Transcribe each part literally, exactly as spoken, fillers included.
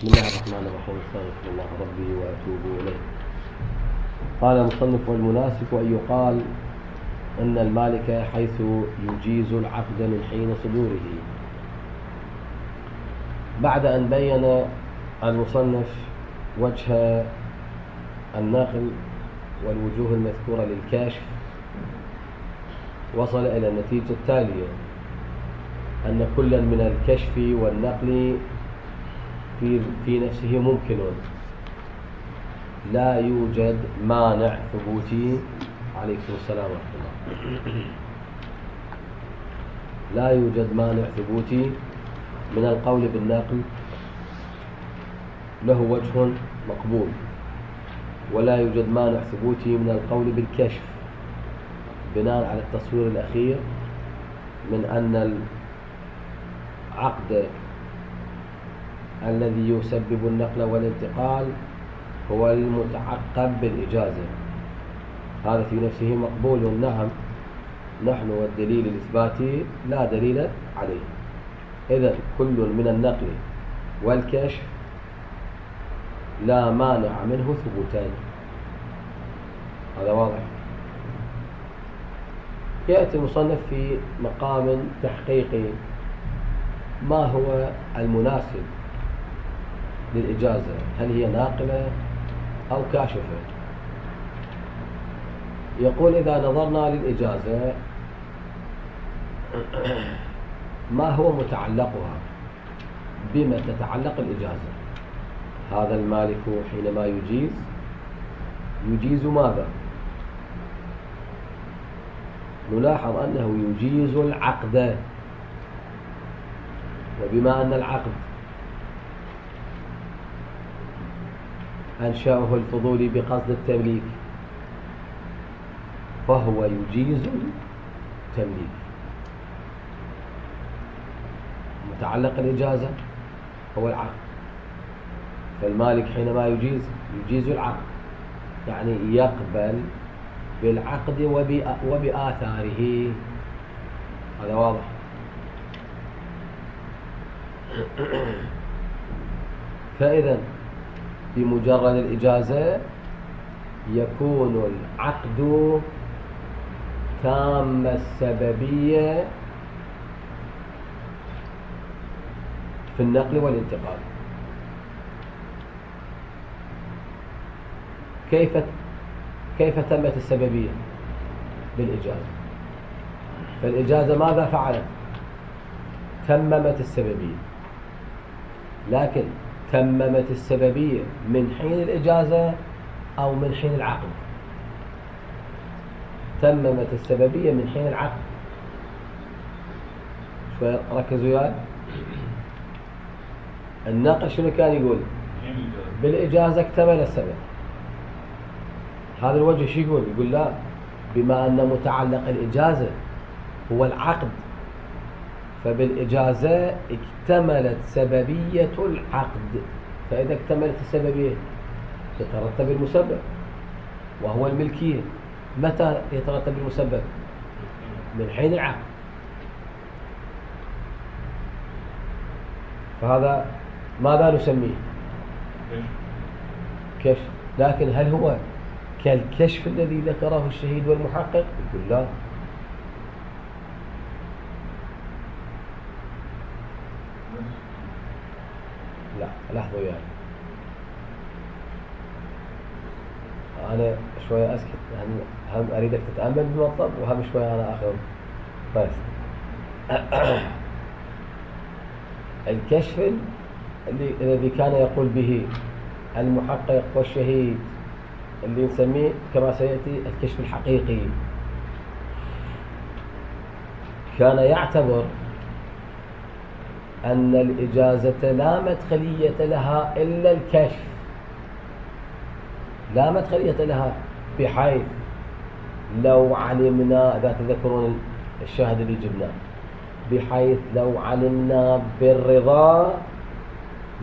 بسم الله الرحمن الرحيم. استغفر الله ربي وأتوب إليه. قال المصنف: والمناسك أن يقال أن المالك حيث يجيز العقد من حين صدوره. بعد أن بين المصنف وجه النقل والوجوه المذكورة للكشف، وصل إلى النتيجة التالية: أن كلا من الكشف والنقل في في نفسه ممكن، لا يوجد مانع ثبوتي. عليكم السلام ورحمة الله. لا يوجد مانع ثبوتي من القول بالنقل، له وجه مقبول، ولا يوجد مانع ثبوتي من القول بالكشف بناء على التصوير الأخير من أن العقد الذي يسبب النقل والانتقال هو المتعقب بالإجازة. هذا في نفسه مقبول، نعم، نحن والدليل الإثباتي لا دليل عليه. إذن كل من النقل والكشف لا مانع منه ثبوتان. هذا واضح. يأتي المصنف في مقام تحقيقي: ما هو المناسب للإجازة؟ هل هي ناقلة أو كاشفة؟ يقول: إذا نظرنا للإجازة ما هو متعلقها؟ بما تتعلق الإجازة؟ هذا المالك حينما يجيز يجيز ماذا؟ نلاحظ أنه يجيز العقد، وبما أن العقد أنشأه الفضولي بقصد التمليك فهو يجيز التمليك. متعلق الإجازة هو العقد، فالمالك حينما يجيز يجيز العقد، يعني يقبل بالعقد وبآثاره. هذا واضح. فإذا بمجرد الإجازة يكون العقد تام السببية في النقل والانتقال. كيف كيف تمت السببية؟ بالإجازة. فالإجازة ماذا فعلت؟ تممت السببية، لكن تممت السببية من حين الإجازة أو من حين العقد؟ تممت السببية من حين العقد. شوي ركزوا وياي. النقل شنو كان يقول؟ بالإجازة اكتمل السبب. هذا الوجه شو يقول؟ يقول لا، بما أن متعلق الإجازة هو العقد، فبالإجازة اكتملت سببية العقد. فإذا اكتملت السببية يترتب المسبب، وهو الملكية. متى يترتب المسبب؟ من حين العقد. فهذا ماذا نسميه؟ كشف. لكن هل هو كالكشف الذي ذكره الشهيد والمحقق؟ يقول لا. لا، لحظة وياي، أنا شوية أسكت، هم, هم أريدك تتأمل بالمطلب، وهم شوية أنا أخذ بس. الكشف اللي الذي كان يقول به المحقق والشهيد، اللي نسميه كما سيأتي الكشف الحقيقي، كان يعتبر أن الإجازة لا مدخلية لها إلا الكشف، لا مدخلية لها، بحيث لو علمنا، إذا تذكرون الشاهد اللي جبناه، بحيث لو علمنا بالرضا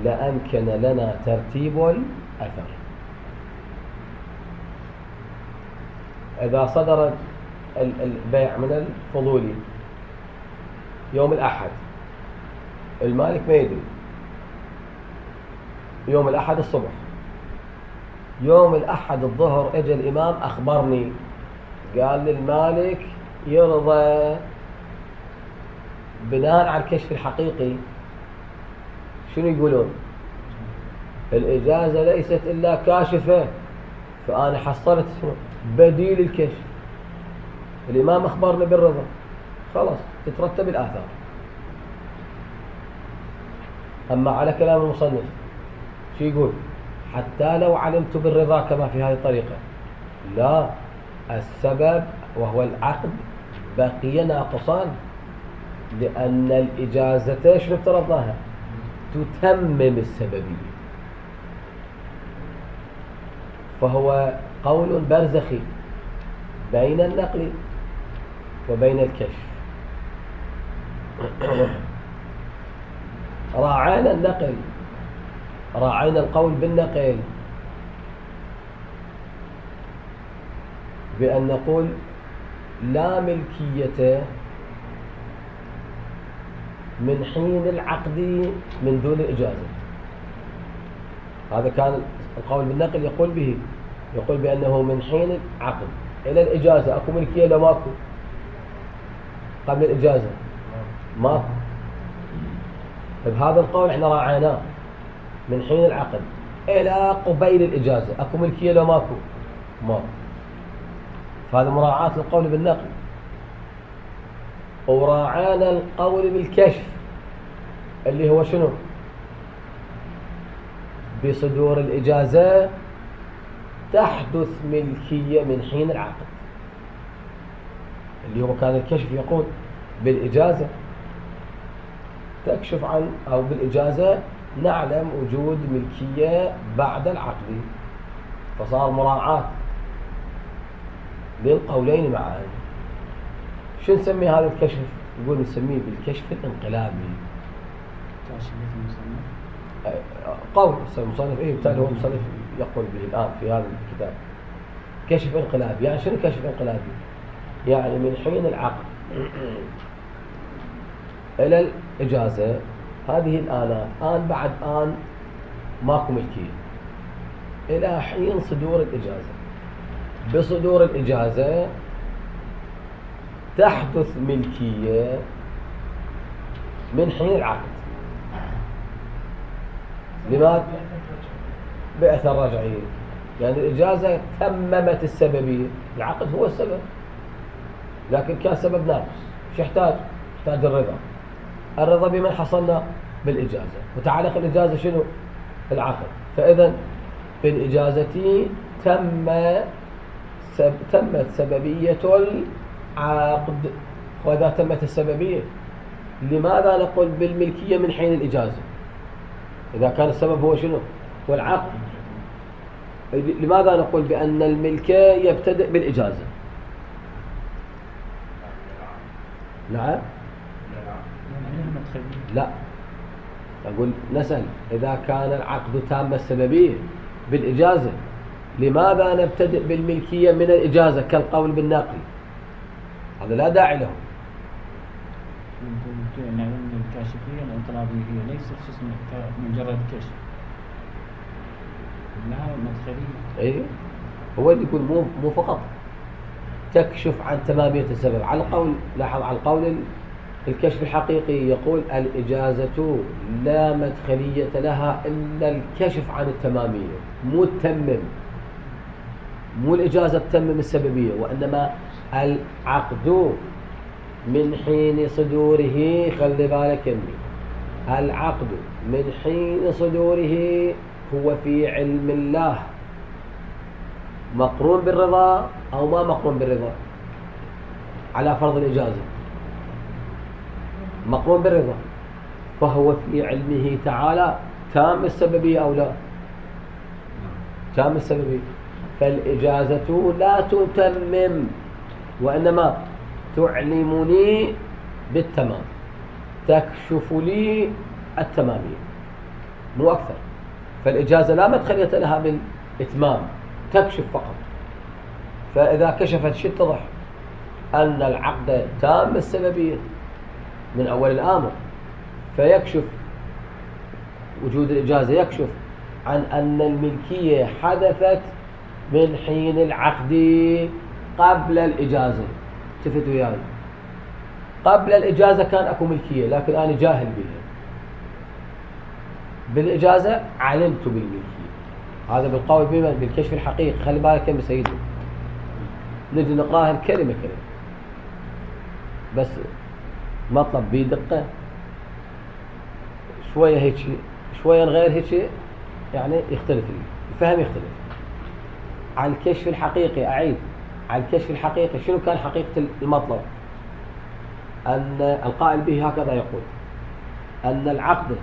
لأمكن لنا ترتيب الأثر. إذا صدر البيع من الفضولي يوم الأحد، المالك ما يدري، يوم الأحد الصبح. يوم الأحد الظهر اجى الإمام أخبرني، قال للمالك يرضى بناء على الكشف الحقيقي. شنو يقولون؟ الإجازة ليست إلا كاشفة، فأنا حصلت بديل الكشف. الإمام أخبرني بالرضا، خلاص تترتب الآثار. أما على كلام المصنف شو يقول؟ حتى لو علمت بالرضا كما في هذه الطريقة، لا، السبب وهو العقد بقي ناقصان، لأن الإجازة شنو افترضناها؟ تتمم السببية. فهو قول برزخي بين النقل وبين الكشف. راعينا النقل، راعينا القول بالنقل بأن نقول لا ملكية من حين العقد من دون الإجازة. هذا كان القول بالنقل يقول به، يقول بأنه من حين العقد إلى الإجازة أكو ملكية لو ماكو؟ قبل الإجازة ماكو. بهذا القول احنا راعيناه من حين العقد إلى قبيل الإجازة أكو ملكية لو ماكو؟ ماكو. فهذا مراعاة للقول بالنقل. وراعانا القول بالكشف اللي هو شنو؟ بصدور الإجازة تحدث ملكية من حين العقد، اللي هو كان الكشف يقول بالإجازة تكشف عن، أو بالإجازة نعلم وجود ملكية بعد العقد. فصار مراعاة للقولين معا. شو نسمي هذا الكشف؟ يقول نسميه بالكشف الانقلابي. قول المصنف ايه بالتالي هو المصنف يقول به الآن في هذا الكتاب كشف انقلابي. يعني شنو كشف انقلابي؟ يعني من حين العقد إلى الإجازة هذه الآلات آن بعد آن ماكو ملكية إلى حين صدور الإجازة. بصدور الإجازة تحدث ملكية من حين العقد. لماذا؟ بأثر رجعي. يعني الإجازة تممت السببية، العقد هو السبب، لكن كان سبب ناقص. شو يحتاج؟ يحتاج الرضا. الرضا بمن حصلنا؟ بالإجازة. وتعلق الإجازة شنو؟ العقد. فإذا بالإجازة تم سب... تمت سببية العقد. وإذا تمت السببية لماذا نقول بالملكية من حين الإجازة؟ إذا كان السبب هو شنو؟ هو العقد. لماذا نقول بأن الملكية يبتدئ بالإجازة؟ نعم؟ لا، أقول نسأل إذا كان العقد تام السببية بالإجازة لماذا نبتدئ بالملكية من الإجازة كالقول بالناقل؟ هذا لا داعي له. يعني الكاشفية الانقلابية هي ليست اسمها مجرد كشف، لها مدخلية. اي هو اللي يقول مو مو فقط تكشف عن تمامية السبب. على القول، لاحظ على القول الكشف الحقيقي يقول الإجازة لا مدخلية لها إلا الكشف عن التمامية، مو التمم، مو الإجازة تتمم السببية، وإنما العقد من حين صدوره. خلي بالك يمي، العقد من حين صدوره هو في علم الله مقرون بالرضا أو ما مقرون بالرضا. على فرض الإجازة مقرون بالرضا، فهو في علمه تعالى تام السببية أو لا؟ تام السببية. فالإجازة لا تتمم وإنما تعلمني بالتمام، تكشف لي التمامية، مو أكثر. فالإجازة لا مدخلية لها بالإتمام، تكشف فقط. فإذا كشفت شيء اتضح أن العقد تام السببية من أول الآمر، فيكشف وجود الإجازة، يكشف عن أن الملكية حدثت من حين العقد قبل الإجازة. شفت وياي؟ قبل الإجازة كان أكو ملكية لكن أنا جاهل بها، بالإجازة علمت بالملكية. هذا بالقول بمن؟ بالكشف الحقيقي. خلي بالك يا سيدي، نجي نقراها الكلمة كلمة بس مطلب بيه دقة، شوية هيك شوية نغير هيك يعني يختلف الفهم، يختلف. على الكشف الحقيقي، أعيد، على الكشف الحقيقي شنو كان حقيقة المطلب؟ أن القائل به هكذا يقول: أن العقد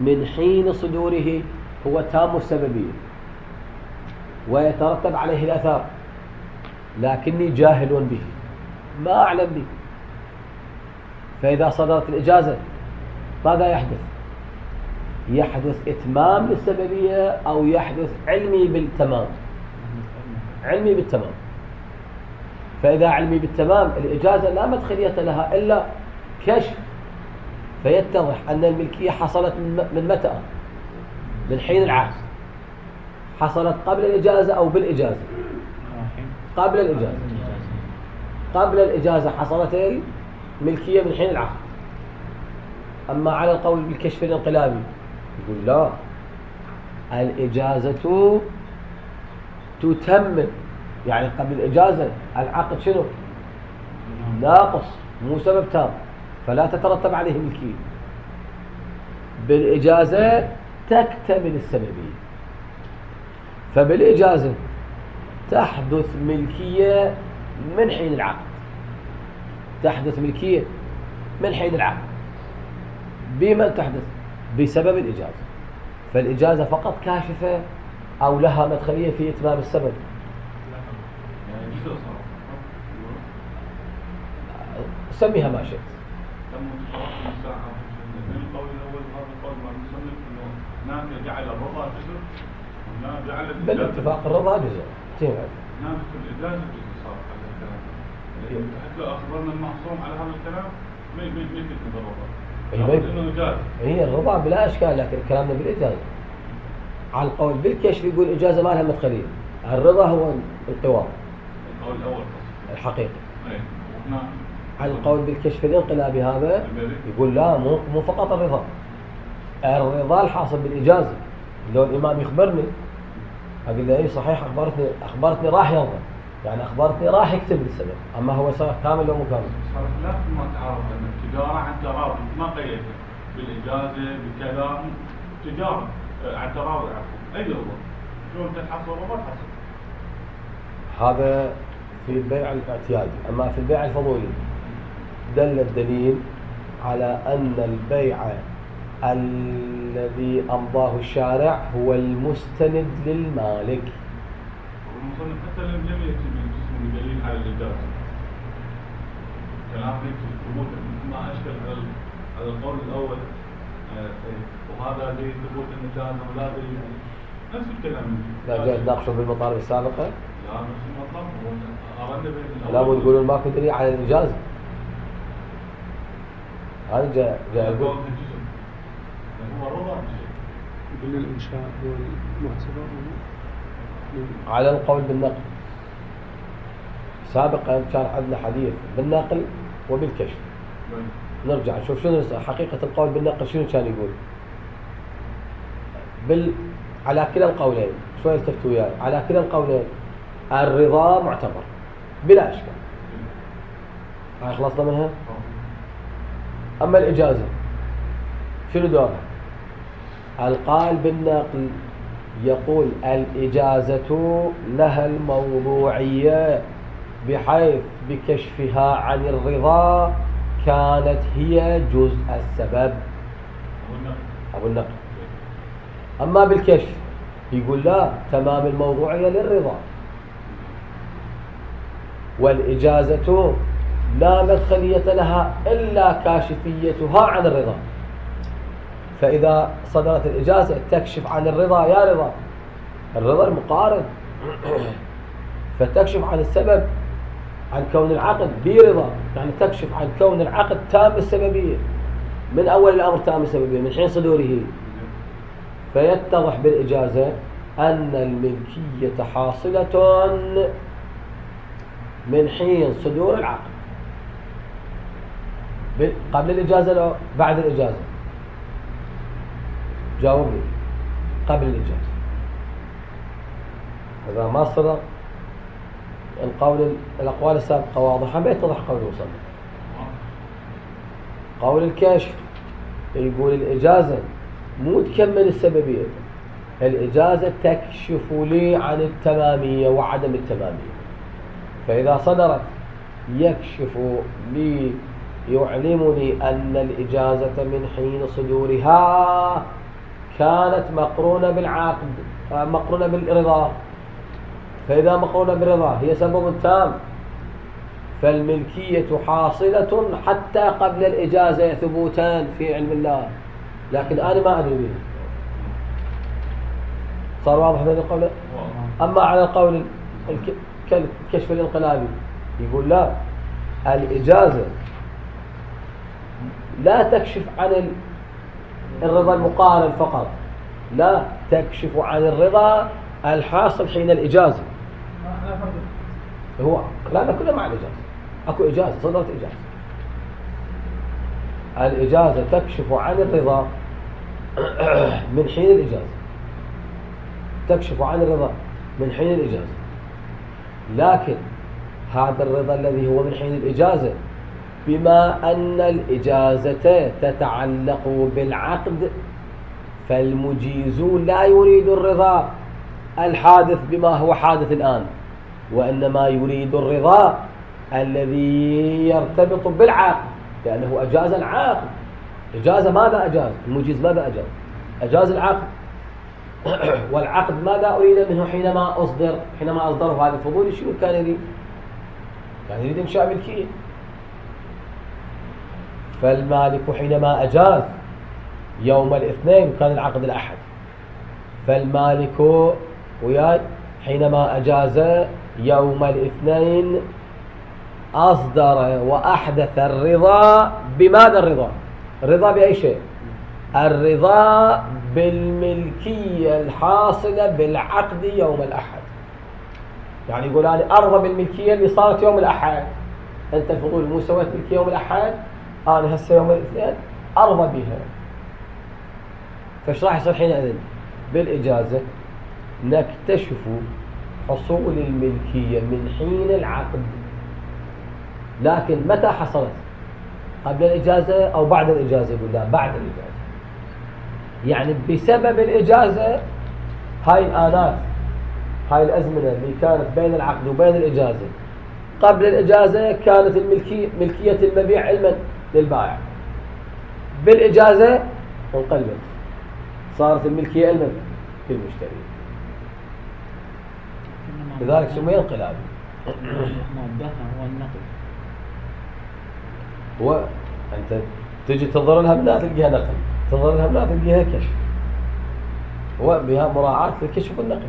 من حين صدوره هو تام السببية ويترتب عليه الأثار، لكني جاهل به ما أعلم به. فإذا صدرت الإجازة ماذا يحدث؟ يحدث إتمام للسببية أو يحدث علمي بالتمام؟ علمي بالتمام. فإذا علمي بالتمام الإجازة لا مدخلية لها إلا كشف، فيتضح أن الملكية حصلت من متى؟ من حين العقد. حصلت قبل الإجازة أو بالإجازة؟ قبل الإجازة. قبل الإجازة حصلت الملكية من حين العقد. أما على القول بالكشف الانقلابي يقول لا، الإجازة تتمم، يعني قبل الإجازة العقد شنو؟ ناقص، مو سبب تام، فلا تترتب عليه ملكية. بالإجازة تكتمل السببية، فبالإجازة تحدث ملكية من حين العقد، تحدث ملكية من حين العقد. بمن تحدث؟ بسبب الإجازة. فالإجازة فقط كاشفة أو لها مدخلية في إتمام السبب. سميها ما شئت. بالاتفاق الرضا جزء. نعم في الإجازة جزء صار على الكلام. حتى لو أخبرنا المعصوم على هذا الكلام ما ما ما يمكن الرضا. هي الرضا بلا إشكال، لكن كلامنا بالإجازة. على القول بالكشف يقول الإجازة ما لها مدخلية. الرضا هو القوام. القول الأول الحقيقي. نعم. على القول بالكشف الانقلابي هذا يقول لا، مو مو فقط الرضا. الرضا الحاصل بالإجازة. لو الإمام يخبرني أقول له إيه صحيح، أخبرتني أخبرتني راح يرضى، يعني أخبرتني راح يكتب السبب. أما هو صار كامل ولا مو كامل؟ صار خلاف ما تعرف أن التجارة عن تراضي، ما قيدت بالإجازة بالكلام، تجارة عن تراضي عفوا. أي رضا؟ شو أنت تحصل وما تحصل؟ هذا في البيع الاعتيادي. أما في البيع الفضولي دل الدليل على أن البيع الذي أمضاه الشارع هو المستند للمالك. والمصنف حتى لم لم يأتي من دليل على الإجازة. كلام في الثبوت ما أشكل على على القول الأول، وهذا دليل ثبوت الإجازة ولا دليل نفس الكلام. لا جاي تناقشوا بالمطالب السابقة؟ لا نفس المطلب. أردنا بين لا مو تقولون ماكو دليل على الإجازة. هذا جاء جاء يقول قلنا الإنشاء هو المعتبر على القول بالنقل. سابقا كان عندنا حديث بالنقل وبالكشف. نرجع نشوف شنو حقيقة القول بالنقل شنو كان يقول. بال على كلا القولين شوية التفتوا وياي، على كلا القولين الرضا معتبر بلا إشكال. هاي خلصنا منها. أما الإجازة شنو دورها؟ القائل بالنقل يقول الإجازة لها الموضوعية، بحيث بكشفها عن الرضا كانت هي جزء السبب. أبو النقل. أما بالكشف يقول لا، تمام الموضوعية للرضا، والإجازة لا مدخلية لها إلا كاشفيتها عن الرضا. فإذا صدرت الإجازة تكشف عن الرضا، يا رضا الرضا المقارن، فتكشف عن السبب، عن كون العقد برضا، يعني تكشف عن كون العقد تام السببية من أول الأمر، تام السببية من حين صدوره. فيتضح بالإجازة أن الملكية حاصلة من حين صدور العقد. قبل الإجازة أو بعد الإجازة؟ جاوبني. قبل الإجازة. إذا ما صدر القول الأقوال السابقة واضحة بيتضح قول المصنف. قول الكاشف يقول الإجازة مو تكمل السببية، الإجازة تكشف لي عن التمامية وعدم التمامية، فإذا صدرت يكشف لي يعلمني أن الإجازة من حين صدورها كانت مقرونة بالعقد، مقرونة بالرضا، فإذا مقرونة بالرضا هي سبب تام، فالملكية حاصلة حتى قبل الإجازة ثبوتان في علم الله، لكن أنا ما أدري به. صار واضح هذا القول؟ أما على القول الكشف الانقلابي يقول لا، الإجازة لا تكشف عن الرضا المقارن فقط، لا تكشف عن الرضا الحاصل حين الإجازة. هو لا كله مع الإجازة، أكو إجازة صدرت إجازة، الإجازة تكشف عن الرضا من حين الإجازة، تكشف عن الرضا من حين الإجازة، لكن هذا الرضا الذي هو من حين الإجازة بما أن الإجازة تتعلق بالعقد، فالمجيزون لا يريد الرضا الحادث بما هو حادث الآن، وإنما يريد الرضا الذي يرتبط بالعقد، لأنه أجاز العقد. إجازة ماذا أجاز؟ المجيز ماذا أجاز؟ أجاز العقد. والعقد ماذا أريد منه حينما أصدر حينما أصدره هذا الفضول؟ شنو كان يريد؟ كان يريد إنشاء ملكية. فالمالك حينما أجاز يوم الاثنين كان العقد الأحد، فالمالك وياي حينما أجاز يوم الاثنين أصدر وأحدث الرضا. بماذا الرضا؟ الرضا بأي شيء؟ الرضا بالملكية الحاصلة بالعقد يوم الأحد. يعني يقول أنا أرضى بالملكية اللي صارت يوم الأحد، أنت الفضول مو سويت ملكية يوم الأحد، أنا هسه يوم الاثنين أرضى بها. فايش راح يصير حينئذ؟ بالإجازة نكتشف حصول الملكية من حين العقد، لكن متى حصلت؟ قبل الإجازة أو بعد الإجازة؟ يقول لا، بعد الإجازة. يعني بسبب الإجازة هاي الآنات، هاي الأزمنة اللي كانت بين العقد وبين الإجازة، قبل الإجازة كانت الملكية ملكية المبيع علما للبائع، بالإجازة انقلبت صارت الملكية علما للمشتري، لذلك سمي انقلاب. مادتها هو النقل. هو أنت تجي تنظر لها بلا تلقيها نقل، تنظر لها بلا تلقيها كشف، هو بها مراعاة للكشف والنقل.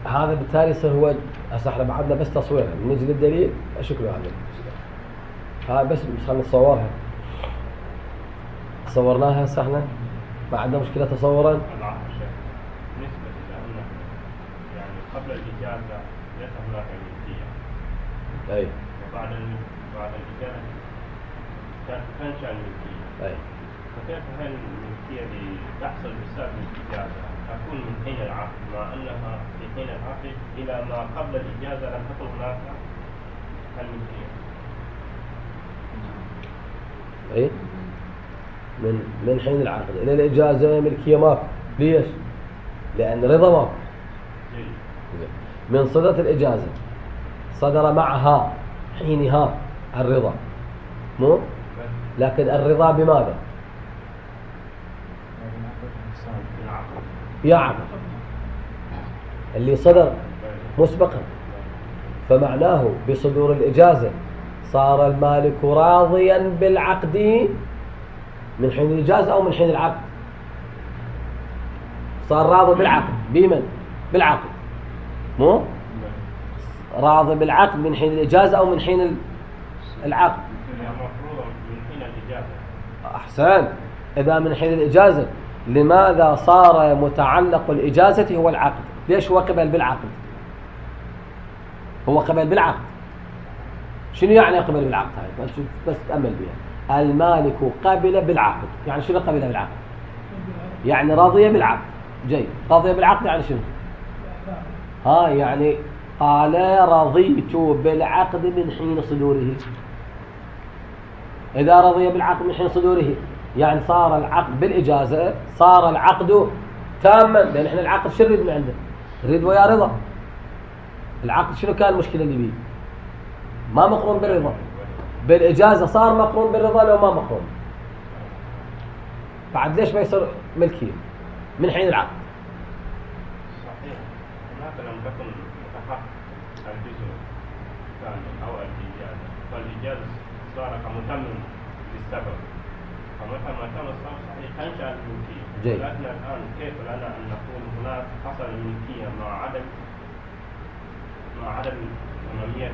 هذا بالتالي يصير هو هسه احنا بعدنا بس تصويرها، نجي للدليل شكله هذا هاي بس خلينا نصورها، صورناها هسه احنا ما عندنا مشكلة تصورا. العفو شيخ، بالنسبة لأن يعني قبل الإجازة ليس هناك ملكية، أي وبعد بعد الإجازة تنشأ الملكية، أي فكيف هاي الملكية اللي تحصل بسبب الإجازة تكون من حين العقد، مع أنها في حين العقد إلى ما قبل الإجازة لم تكن هناك الملكية؟ أي من من حين العقد إلى الإجازة ملكية ماكو. ليش؟ لأن رضا ماكو. من صدرت الإجازة صدر معها حينها الرضا، مو؟ لكن الرضا بماذا؟ يا عقد اللي صدر مسبقا، فمعناه بصدور الإجازة صار المالك راضيا بالعقد من حين الإجازة أو من حين العقد؟ صار راضي بالعقد. بمن؟ بالعقد، مو؟ راضي بالعقد من حين الإجازة أو من حين العقد؟ المفروض من حين الإجازة. أحسن. إذا من حين الإجازة، لماذا صار متعلق الإجازة هو العقد؟ ليش هو قبل بالعقد؟ هو قبل بالعقد. شنو يعني قبل بالعقد؟ هاي بس بس تأمل بها. المالك قبل بالعقد، يعني شنو قبل بالعقد؟ يعني رضي بالعقد. جيد. رضي بالعقد يعني شنو؟ ها يعني قال رضيت بالعقد من حين صدوره. إذا رضي بالعقد من حين صدوره يعني صار العقد بالإجازة، صار العقد تاما، لأن احنا العقد شو نريد من عنده؟ نريد ويا رضا. العقد شنو كان المشكلة اللي بيه؟ ما مقرون بالرضا. بالإجازة صار مقرون بالرضا لو ما مقرون. بعد ليش ما يصير ملكية من حين العقد؟ صحيح. هناك لم تكن متحقق الجزء الثاني أو الإجازة، فالإجازة صار كمتمم للسبب، فمتى ما كان السبب صحيح تنشأ الملكية. جيد. لكن الآن كيف لنا أن نقول هناك حصل الملكية مع عدم مع عدم تمامية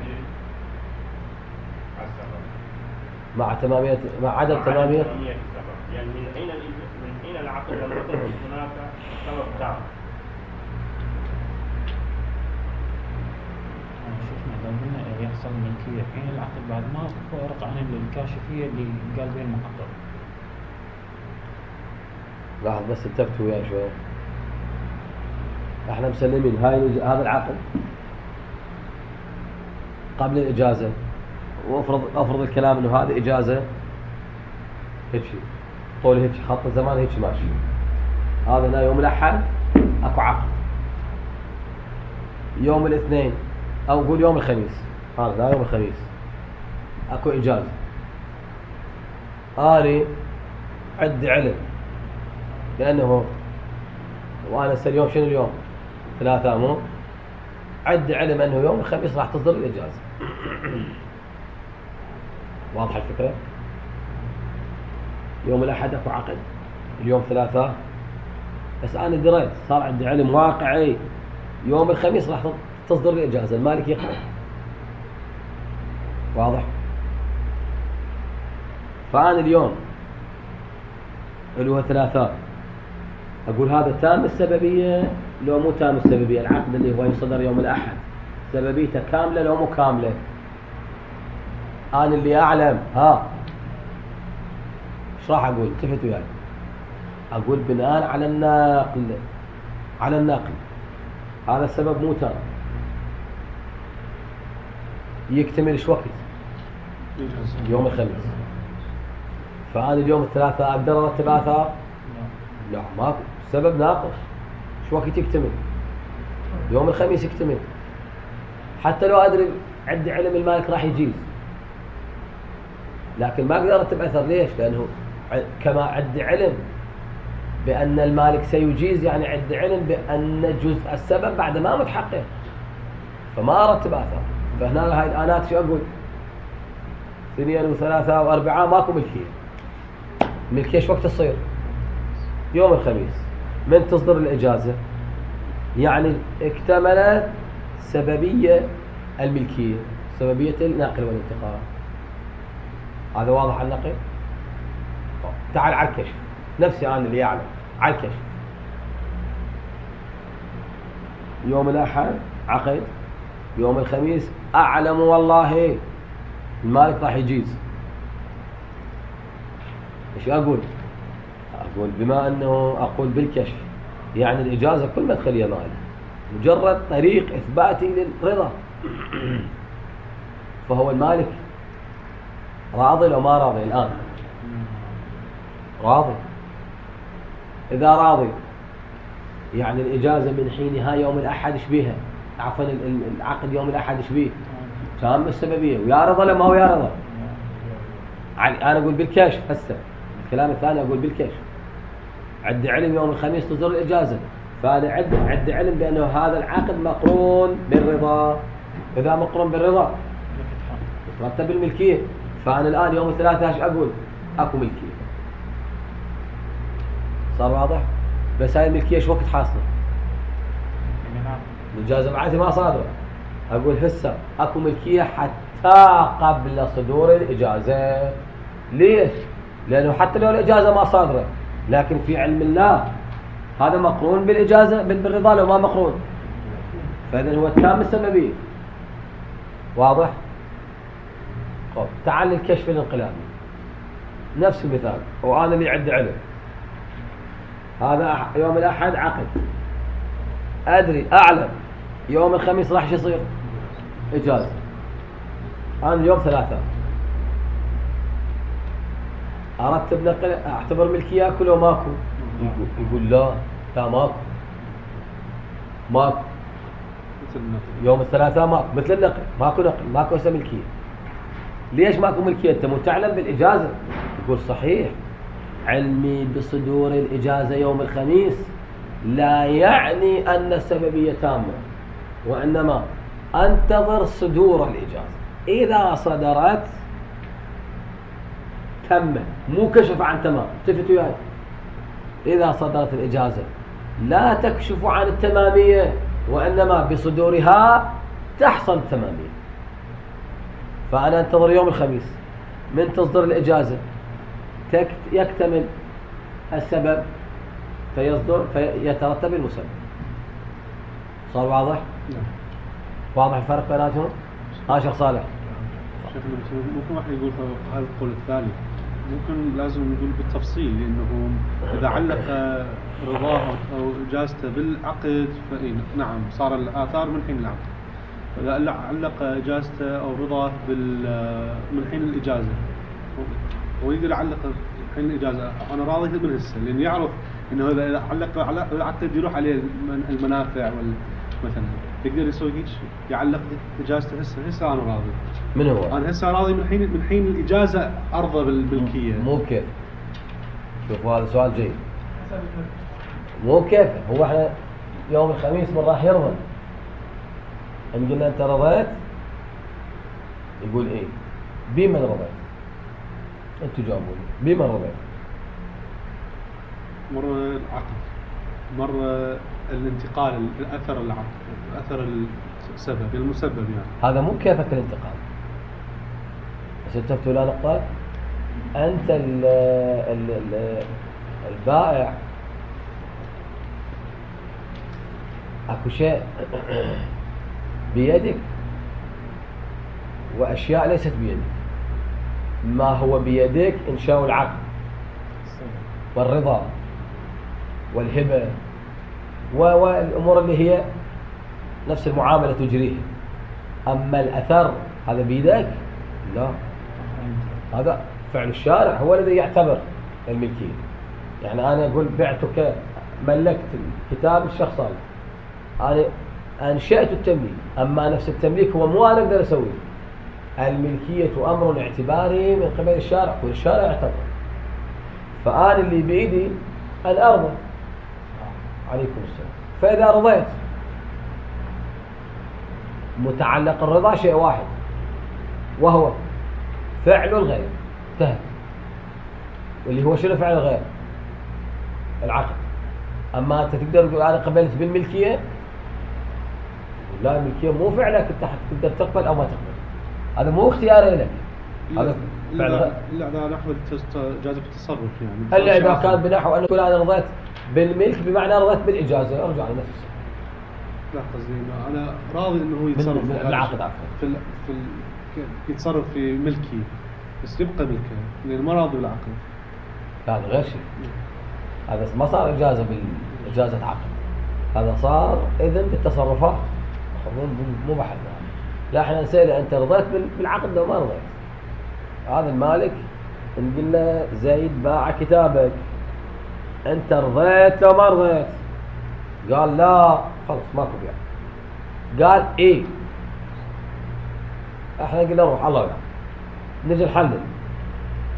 السبب، مع تمامية مع عدم مع تمامية تمامية السبب، يعني من حين الإج- من حين العقد لم يكن هناك سبب تام. شفنا لو قلنا يحصل ملكية في حين العقد بعد ما فرق عن الكاشفية اللي قال بها المحقق. لاحظ بس انتبهتوا وياي شوي. احنا مسلمين هاي الإج- هذا العقد قبل الإجازة، وافرض افرض الكلام انه هذه إجازة هيك طول هيك خط الزمان هيك ماشي. هذا هنا يوم الأحد اكو عقد، يوم الاثنين او نقول يوم الخميس، هذا هنا يوم الخميس اكو إجازة. أنا عندي علم لأنه وأنا هسه اليوم شنو اليوم؟ ثلاثة مو؟ عندي علم أنه يوم الخميس راح تصدر الإجازة. واضحة الفكرة؟ يوم الأحد أكو عقد، اليوم ثلاثة، بس أنا دريت صار عندي علم واقعي يوم الخميس راح تصدر الإجازة، المالك يقبل. واضح؟ فأنا اليوم اللي هو ثلاثة أقول هذا تام السببية لو مو تام السببية؟ العقد اللي هو يصدر يوم الأحد سببيته كاملة لو مو كاملة؟ أنا اللي أعلم. ها إيش راح أقول؟ التفتوا يعني أقول بناء على الناقل على الناقل هذا السبب مو تام، يكتمل إيش وقت؟ يوم الخميس. فأنا اليوم الثلاثاء أقدر أرتب آثار؟ لا ماكو، السبب ناقص. شو وقت يكتمل؟ يوم الخميس يكتمل. حتى لو أدري عندي علم المالك راح يجيز، لكن ما أقدر أرتب أثر. ليش؟ لأنه كما عندي علم بأن المالك سيجيز، يعني عندي علم بأن جزء السبب بعد ما متحقق، فما أرتب أثر. فهنا هاي الآنات شو أقول؟ اثنين وثلاثة وأربعة ماكو ملكية. ملكية شو وقت تصير؟ يوم الخميس من تصدر الإجازة، يعني اكتملت سببية الملكية، سببية النقل والانتقال. هذا واضح على النقل؟ تعال على الكشف، نفسي أنا اللي يعلم على الكشف. يوم الأحد عقد، يوم الخميس أعلم والله المالك راح يجيز. ايش اقول؟ اقول بما انه اقول بالكشف يعني الاجازه كل مدخليه مالي، مجرد طريق اثباتي للرضا. فهو المالك راضي لو ما راضي؟ الان راضي. اذا راضي يعني الاجازه من حينها يوم الاحد ايش بيها؟ عفوا العقد يوم الاحد ايش بيه؟ تام السببيه ويا رضا لما هو يا رضا. انا اقول بالكشف هسه، الكلام الثاني أقول بالكشف. عندي علم يوم الخميس تصدر الإجازة، فأنا عندي عندي علم بأنه هذا العقد مقرون بالرضا. إذا مقرون بالرضا يترتب الملكية. فأنا الآن يوم الثلاثاء ايش أقول؟ أكو ملكية. صار واضح؟ بس هاي الملكية ايش وقت حاصلة؟ الإجازة بعد ما صادرة، أقول هسه أكو ملكية حتى قبل صدور الإجازة. ليش؟ لأنه حتى لو الإجازة ما صادرة لكن في علم الله هذا مقرون بالإجازة بالرضا لو ما مقرون، فإذن هو التام السببية. واضح؟ طب تعال للكشف الانقلابي نفس المثال، وأنا اللي عندي علم. هذا يوم الأحد عقد، أدري أعلم يوم الخميس راح يصير إجازة، أنا اليوم ثلاثة أرتب نقل أعتبر ملكية أكل وماكو. يقول, يقول لا لا ماكو ماكو يوم الثلاثاء ماكو مثل النقل، ماكو نقل ماكو اسم ملكية. ليش ماكو ملكية؟ أنت مو تعلم بالإجازة. يقول صحيح علمي بصدور الإجازة يوم الخميس لا يعني أن السببية تامة، وإنما أنتظر صدور الإجازة، إذا صدرت تم، مو كشف عن تمام. تفتوا يعني إذا صدرت الإجازة لا تكشف عن التمامية، وإنما بصدورها تحصل التمامية. فأنا أنتظر يوم الخميس، من تصدر الإجازة يكتمل السبب فيصدر فيترتب المسبب. صار واضح؟ نعم. واضح الفرق بيناتهم؟ ها شيخ صالح. ممكن واحد يقول هذا القول الثاني، ممكن لازم نقول بالتفصيل، لأنه إذا علق رضاه أو إجازته بالعقد فإن نعم صار الآثار من حين العقد. إذا علق إجازته أو رضاه من حين الإجازة ويقدر يعلق حين الإجازة أنا راضي من هسه، لأن يعرف إنه إذا علق على العقد يروح عليه المنافع مثلا، يقدر يسوي هيك يعلق إجازته هسه هسه أنا راضي. من هو؟ أنا هسه راضي من حين من حين الإجازة أرضى بالملكية. مو كيف؟ شوف هذا سؤال جيد. مو كيف؟ هو احنا يوم الخميس من راح يرضى؟ إن قلنا أنت رضيت يقول إيه؟ بمن رضيت؟ أنتوا جاوبوني بمن رضيت؟ مرة العقد، مرة الانتقال، الأثر العقد، أثر السبب المسبب يعني. هذا مو كيفك الانتقال. بس انتبهتوا لا نقطة، أنت ال ال ال البائع أكو شيء بيدك وأشياء ليست بيدك. ما هو بيدك إنشاء العقد والرضا والهبة والأمور اللي هي نفس المعاملة تجريها. أما الأثر هذا بيدك؟ لا، هذا فعل الشارع هو الذي يعتبر الملكية. يعني أنا أقول بعتك، ملكت الكتاب الشخص هذا، أنا أنشأت التمليك، أما نفس التمليك هو مو أنا أقدر أسويه. الملكية أمر اعتباري من قبل الشارع، والشارع يعتبر. فأنا اللي بإيدي أن أرضى. عليكم السلام. فإذا رضيت متعلق الرضا شيء واحد وهو فعل الغير، انتهى. واللي هو شنو فعل الغير؟ العقد. أما أنت تقدر تقول أنا قبلت بالملكية، لا، الملكية مو فعلك، أنت تقدر تقبل أو ما تقبل، هذا مو اختياري لك، هذا فعل غير. لا، إذا نحو جائزة التصرف يعني. إلا إذا كان بنحو أن تقول أنا رضيت بالملك بمعنى رضيت بالإجازة، أرجع لنفس. لا قصدي أنا راضي إنه هو يتصرف في العقد عفوا في ال في ال يتصرف في ملكي، بس يبقى ملكه لأن ما راضي بالعقد. هذا غير شيء، هذا ما صار إجازة بالإجازة عقد، هذا صار إذن بالتصرفات، مو بحث. لا، احنا نسأله أنت رضيت بالعقد لو ما رضيت؟ هذا المالك نقول له زيد باع كتابك، أنت رضيت لو ما رضيت؟ قال لا، خلص ماكو بيع. قال إيه؟ احنا قلنا روح الله يعلم، نجي نحلل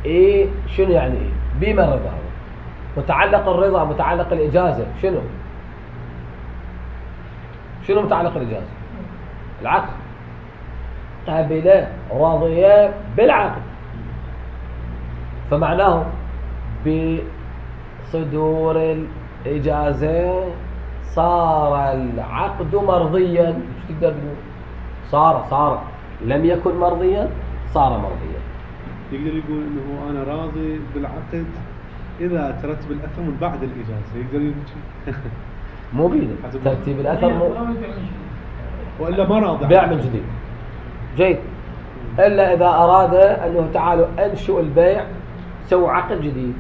إيه شنو يعني إيه؟ بما رضا هذا متعلق الرضا، متعلق الإجازة شنو؟ شنو متعلق الإجازة؟ العقد. قبل راضية بالعقد، فمعناه بصدور الإجازة صار العقد مرضيا. ايش تقدر تقول؟ صار صار لم يكن مرضيا صار مرضيا. يقدر يقول انه انا راضي بالعقد اذا ترتب الاثر من بعد الاجازه، يقدر يقول مو بيده ترتيب الاثر مو ولا ما راضي بيع من جديد. جيد. الا اذا اراد انه تعالوا انشئوا البيع سووا عقد جديد،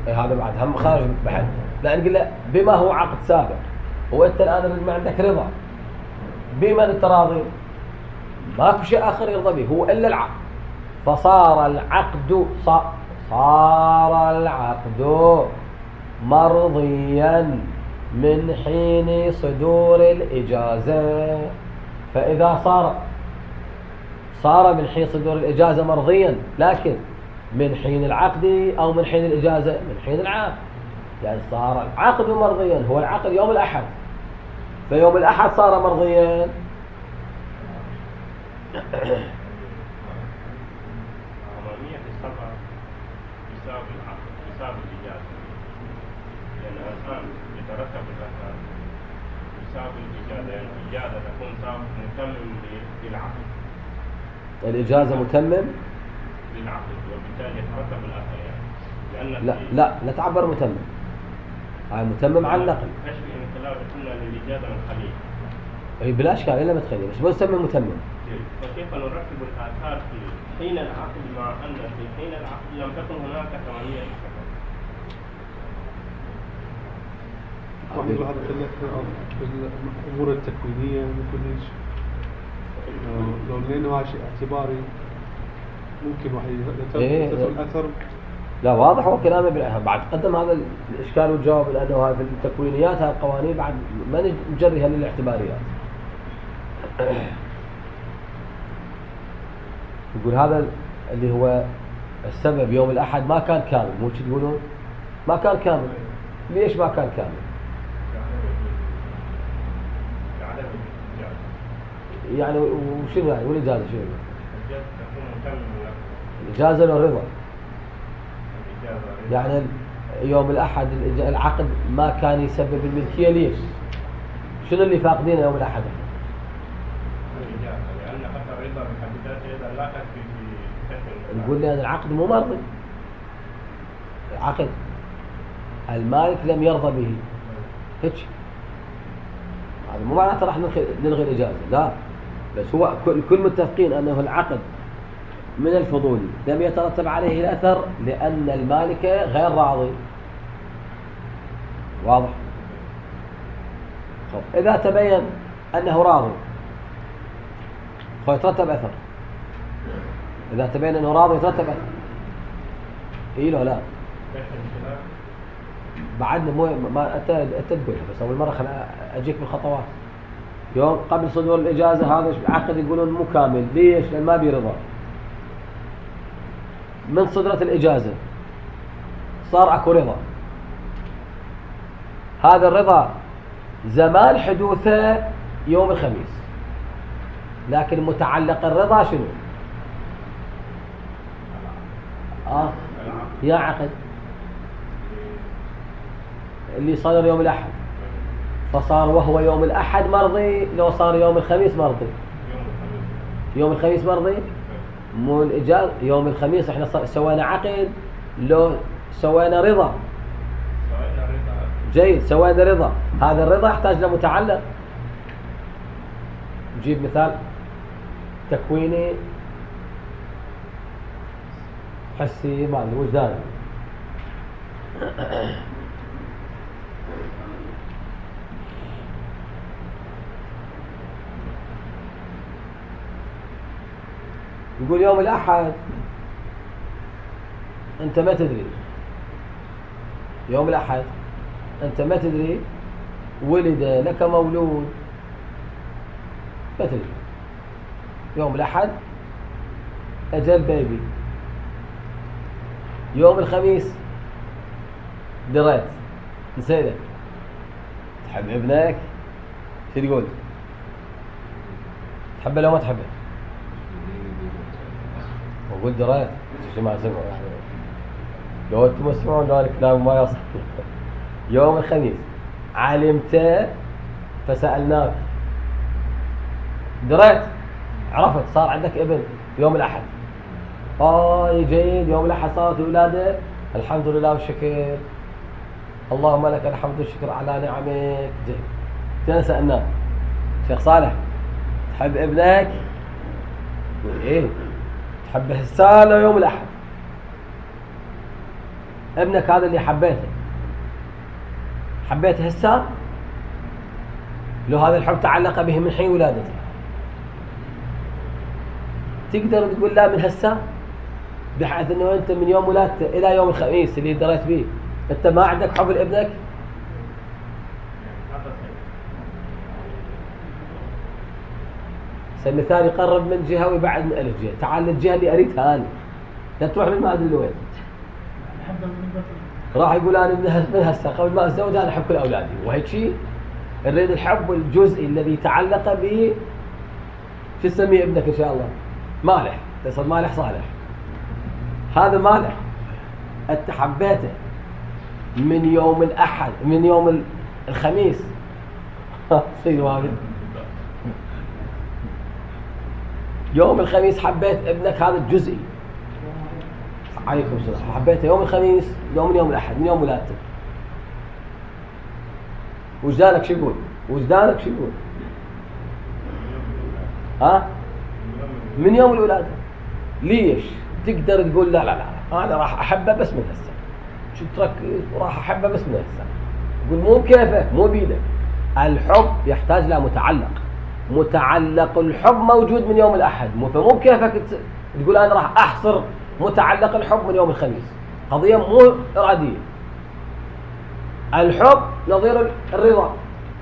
إيه هذا بعد هم خارج بحث، لان قل له بما هو عقد سابق وانت الان ما عندك رضا بمن انت راضي؟ ماكو شيء اخر يرضى به هو الا العقد. فصار العقد صار العقد مرضيا من حين صدور الإجازة. فإذا صار صار من حين صدور الإجازة مرضيا، لكن من حين العقد أو من حين الإجازة من حين العقد، يعني صار العقد مرضيا. هو العقد يوم الأحد، فيوم الأحد صار مرضيا. عملية السفر يساوي العقد يساوي الإجازة، لأن الآن يترتب الأثر يساوي الإجازة، يعني الإجازة تكون متمم للعقد. الإجازة متمم للعقد وبالتالي يترتب الأثر يعني. لأن لا لا لا تعبر متمم، هاي متمم على النقل. ايش في انقلاب قلنا للإجازة من خليل. اي بلا اشكال الا ما تخليه، بس ما نسمي متمم. فكيف نرتب الآثار في حين العقد مع أن في حين العقد لم تكن هناك ثمانية سفر؟ واحد يقول هذا في الأمور التكوينية ممكن ايش؟ لو لأنه هذا شيء اعتباري ممكن واحد يترتب الأثر. لا واضح هو كلامه بالأهم. بعد قدم هذا الإشكال والجواب، لأنه هاي في التكوينيات هاي القوانين بعد ما نجريها للاعتباريات. يقول هذا اللي هو السبب يوم الأحد ما كان كامل، مو شو تقولون؟ ما كان كامل. ليش ما كان كامل؟ يعني وشنو يعني والإجازة شنو؟ الإجازة له رضا. يعني يوم الأحد العقد ما كان يسبب الملكية. ليش؟ شنو اللي فاقدينه يوم الأحد؟ لأن حتى الرضا بحد ذاته لا تكفي في نقول لأن العقد مو مرضي. العقد المالك لم يرضى به هيك، هذا مو معناته راح نلغي الإجازة، لا، بس هو كل متفقين أنه العقد من الفضولي لم يترتب عليه الأثر لأن المالك غير راضي. واضح؟ خب إذا تبين أنه راضي فيترتب أثر. إذا تبين أنه راضي يترتب أثر. إيه لا لا بعدنا مو ما أنت أنت تقولها، بس أول مرة خل أجيك بالخطوات. يوم قبل صدور الإجازة هذا العقد يقولون مو كامل. ليش؟ لأن ما بيرضى. من صدرت الإجازة صار أكو رضا. هذا الرضا زمان حدوثه يوم الخميس، لكن متعلق الرضا شنو؟ آه يا عقد اللي صدر يوم الأحد، فصار وهو يوم الأحد مرضي لو صار يوم الخميس مرضي. يوم الخميس مرضي مو الإجازة. يوم الخميس احنا سوينا عقد لو سوينا رضا. جيد، سوينا رضا. هذا الرضا يحتاج لمتعلق. نجيب مثال تكويني حسي معنى وجداني. يقول يوم الأحد أنت ما تدري، يوم الأحد أنت ما تدري ولد لك مولود، ما تدري. يوم الأحد أجل بيبي. يوم الخميس دريت نسيتك. تحب ابنك؟ شو تقول؟ تحبه لو ما تحبه؟ وقلت دريت شو ما سمعوا لو انتم تسمعون ذلك الكلام ما يصح. يوم الخميس علمت فسألناك دريت عرفت صار عندك ابن يوم الأحد، آه جيد، يوم الأحد صارت الولادة، الحمد لله والشكر، اللهم لك الحمد والشكر على نعمك. جيد. جينا سألناه شيخ صالح تحب ابنك؟ يقول ايه تحبه هسه لو يوم الأحد. ابنك هذا اللي حبيته حبيته هسه لو هذا الحب تعلق به من حين ولادته، تقدر تقول لا من هسه، بحيث انه انت من يوم ولادته الى يوم الخميس اللي دريت به انت ما عندك حب لابنك؟ مثال يقرب من جهه ويبعد من الف جهه، تعال للجهه اللي اريدها انا، لا تروح من ما ادري لوين. راح يقول انا من هسه قبل ما اتزوج انا احب كل اولادي، وهيك شيء نريد الحب الجزئي الذي تعلق به. شو تسميه ابنك ان شاء الله؟ مالح، تصل مالح صالح، هذا مالح انت حبيته من يوم الاحد، من يوم الخميس. شيء واجد. يوم الخميس حبيت ابنك هذا الجزئي، عليكم السلام، حبيته يوم الخميس يوم من يوم الاحد من يوم ولادتك. وجدانك شو يقول؟ وجدانك شو يقول؟ ها؟ من يوم الولادة. ليش؟ تقدر تقول لا لا لا أنا راح أحبه بس من هسه، شو تركز وراح أحبه بس من هسه. يقول مو بكيفك مو بيدك. الحب يحتاج له متعلق، متعلق الحب موجود من يوم الأحد، مو فمو بكيفك تقول أنا راح أحصر متعلق الحب من يوم الخميس. قضية مو إرادية. الحب نظير الرضا،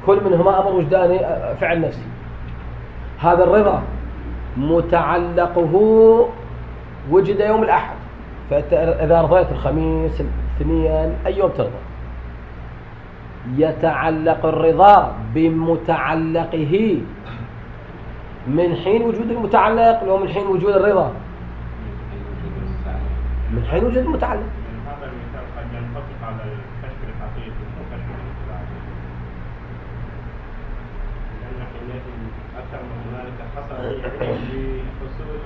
كل منهما أمر وجداني فعل نفسي. هذا الرضا متعلقه وجد يوم الأحد، فإذا رضيت الخميس الاثنين أي يوم ترضى. يتعلق الرضا بمتعلقه من حين وجود المتعلق لو من حين وجود الرضا، من حين وجود المتعلق. هذا المثال قد ينطبق على الكشف الحقيقي مو كشف الانفعالي، لأن حينئذ أكثر من ذلك حصل بحصول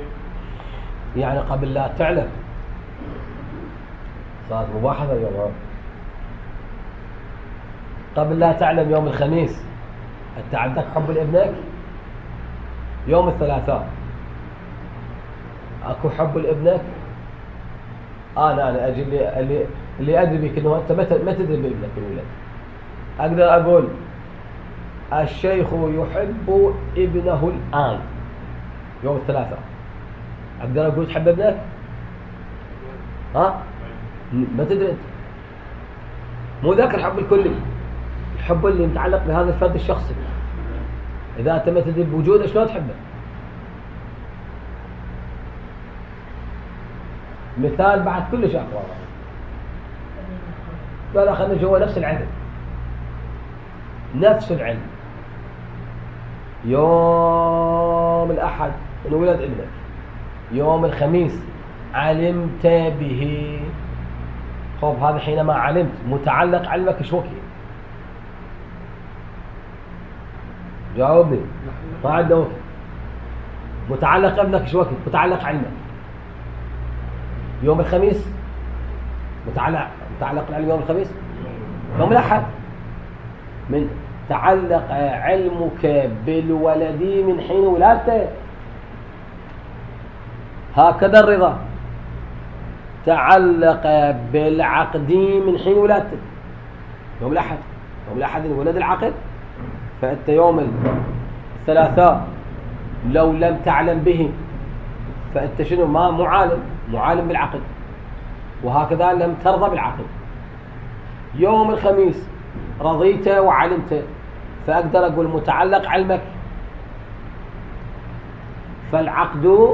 يعني قبل لا تعلم صارت مباحثة اليوم. قبل لا تعلم يوم الخميس أنت عندك حب لابنك؟ يوم الثلاثاء أكو حب لابنك؟ أنا أنا أجي اللي اللي, اللي أدري بك إنه أنت ما ما تدري بابنك الولد. أقدر أقول الشيخ يحب ابنه الآن يوم الثلاثاء، أقدر أقول تحب ابنك؟ ها؟ ما تدري أنت. مو ذاك الحب الكلي، الحب اللي متعلق بهذا الفرد الشخصي. إذا أنت ما تدري بوجوده شلون تحبه؟ مثال بعد كلش أقوى. ولا خلنا جوا نفس العلم، نفس العلم. يوم الأحد انولد ابنك، يوم الخميس علمت به. طب هذا حينما علمت متعلق علمك شو وكي؟ جاوبني. ما عنده وقت. متعلق ابنك شو وكي؟ متعلق علمك يوم الخميس. متعلق متعلق العلم يوم الخميس، يوم الأحد. من تعلق علمك بالولد من حين ولادته. هكذا الرضا تعلق بالعقد من حين ولادته يوم الأحد. يوم الأحد ولد العقد، فأنت يوم الثلاثاء لو لم تعلم به فأنت شنو؟ ما معالم معالم بالعقد. وهكذا لم ترضى بالعقد. يوم الخميس رضيت وعلمت، فأقدر أقول متعلق علمك، فالعقد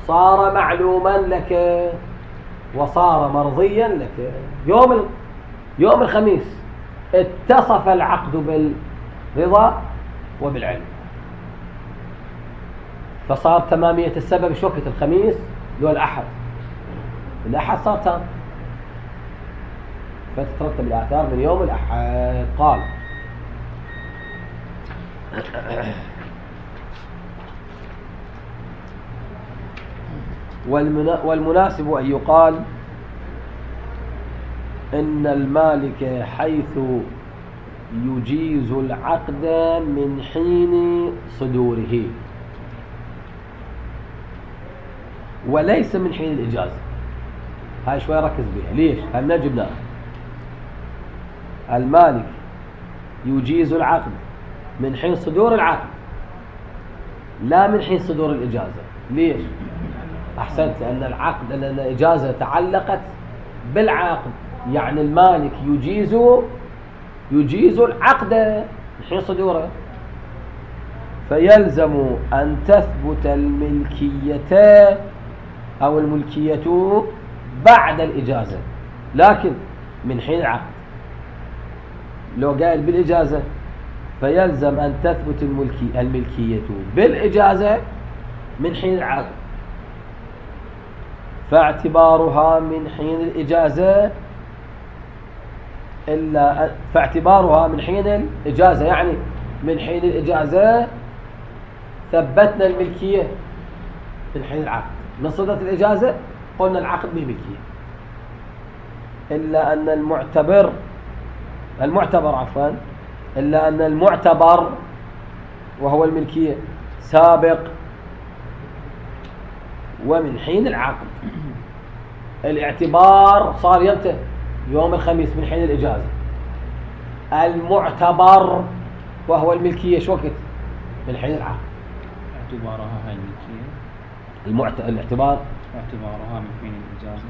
صار معلوما لك وصار مرضيا لك. يوم يوم الخميس اتصف العقد بالرضا وبالعلم، فصار تمامية السبب شوكة الخميس لو الأحد. الأحد صار تام، فتترتب الآثار من يوم الأحد. قال والمناسب أن يقال إن المالك حيث يجيز العقد من حين صدوره وليس من حين الإجازة. هاي شوي ركز بها. ليش؟ هل نجبنا المالك يجيز العقد من حين صدور العقد لا من حين صدور الإجازة. ليش؟ أحسنت، لأن العقد لأن الإجازة تعلقت بالعقد، يعني المالك يجيز يجيز العقد من حين صدوره، فيلزم أن تثبت الملكية أو الملكية بعد الإجازة لكن من حين العقد. لو قال بالإجازة فيلزم أن تثبت الملكي الملكية بالإجازة من حين العقد، فاعتبارها من حين الإجازة إلا فاعتبارها من حين الإجازة يعني من حين الإجازة ثبتنا الملكية من حين العقد. من صدت الإجازة قلنا العقد بالملكية، إلا أن المعتبر المعتبر عفوا إلا أن المعتبر وهو الملكية سابق ومن حين العقد. الاعتبار صار يمتى؟ يوم الخميس من حين الإجازة. المعتبر وهو الملكية شو وقت؟ من حين العقد. اعتبارها هاي الملكية المعت... الاعتبار اعتبارها من حين الإجازة.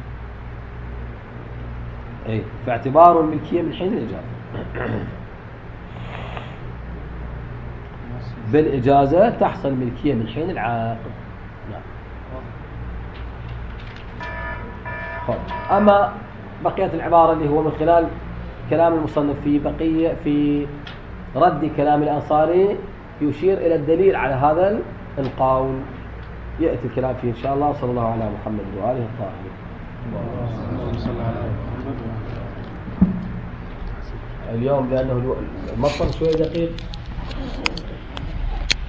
اي فاعتبار الملكية من حين الإجازة. بالإجازة تحصل ملكية من حين العقد. نعم. أما بقية العبارة اللي هو من خلال كلام المصنف في بقية في رد كلام الأنصاري يشير إلى الدليل على هذا القول، يأتي الكلام فيه إن شاء الله. صلى الله على محمد وآله الطاهرين. اليوم لأنه المطر شوي دقيق